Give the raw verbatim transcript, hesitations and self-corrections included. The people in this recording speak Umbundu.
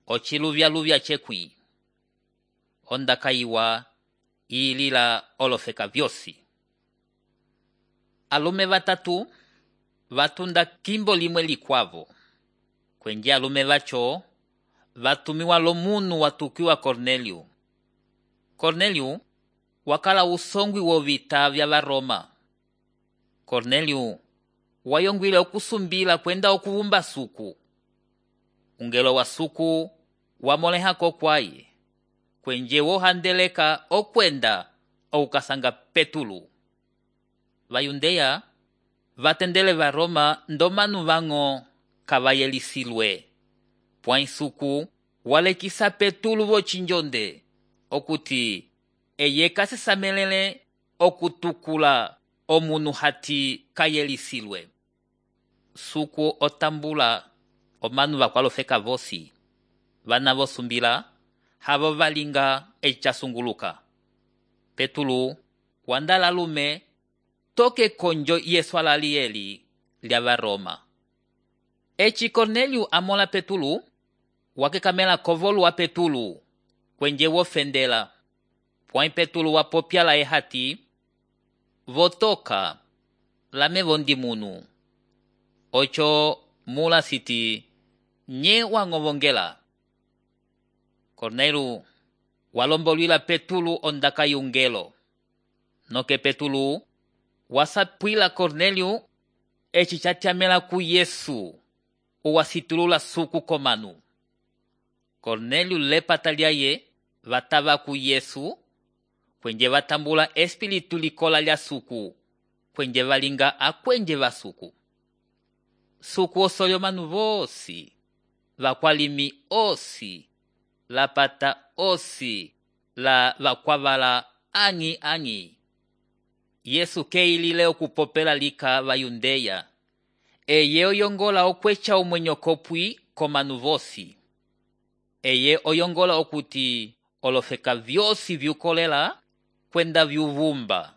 ociluvyaluvya cekwi. Ondaka iwa ilila olofeka vyosi. Alume batatu vatunda kimbo limwe likwavo. Kwenje alume vacho vatumiwa lomunu watukiwa Cornelio. Cornelio wakala usongwi wovita vya Varoma. Cornelio wayongwile okusumbila kwenda okuvumba suku. Ungelo wa suku wamolehako kwaye. Kwenje wohandeleka okwenda okukasanga Petulu. Vayundeya vatendele Varoma ndomanu vango kavayelisilwe. Pwai suku walekisa Petulu vochinjonde okuti eye kasisamelele okutukula omunu hati kayelisilwe. Suku otambula omanu vakwalofeka vosi. Vana vosumbila havo valinga echasunguluka. Petulu wandala lume toke konjo yeswala lieli lya Varoma. Echi Cornelio amola Petulu wakekamela kovolu wa Petulu kwenje wofendela. Pwai Petulu wapopyala ehati votoka lame vondi munu. Ocho mula siti nye wangovongela. Cornelio walombolwila Petulu ondaka yungelo. Noke Petulu wasapwila Cornelio echi chatyamela ku Yesu uwasitulula suku komanu. Cornelio lepata lyaye vatava ku Yesu kwenje vatambula espiritu likola lya suku kwenje valinga akwenje vasuku. Suku osoyo manu vosi, vakwalimi osi, lapata osi, la vakwavala angi angi. Yesu keilile okupopela lika vayundeya. Eye oyongola okwecha omwenyo kopwi komanu vosi. Eye oyongola okuti olofeka vyosi vyukolela kwenda vyuvumba.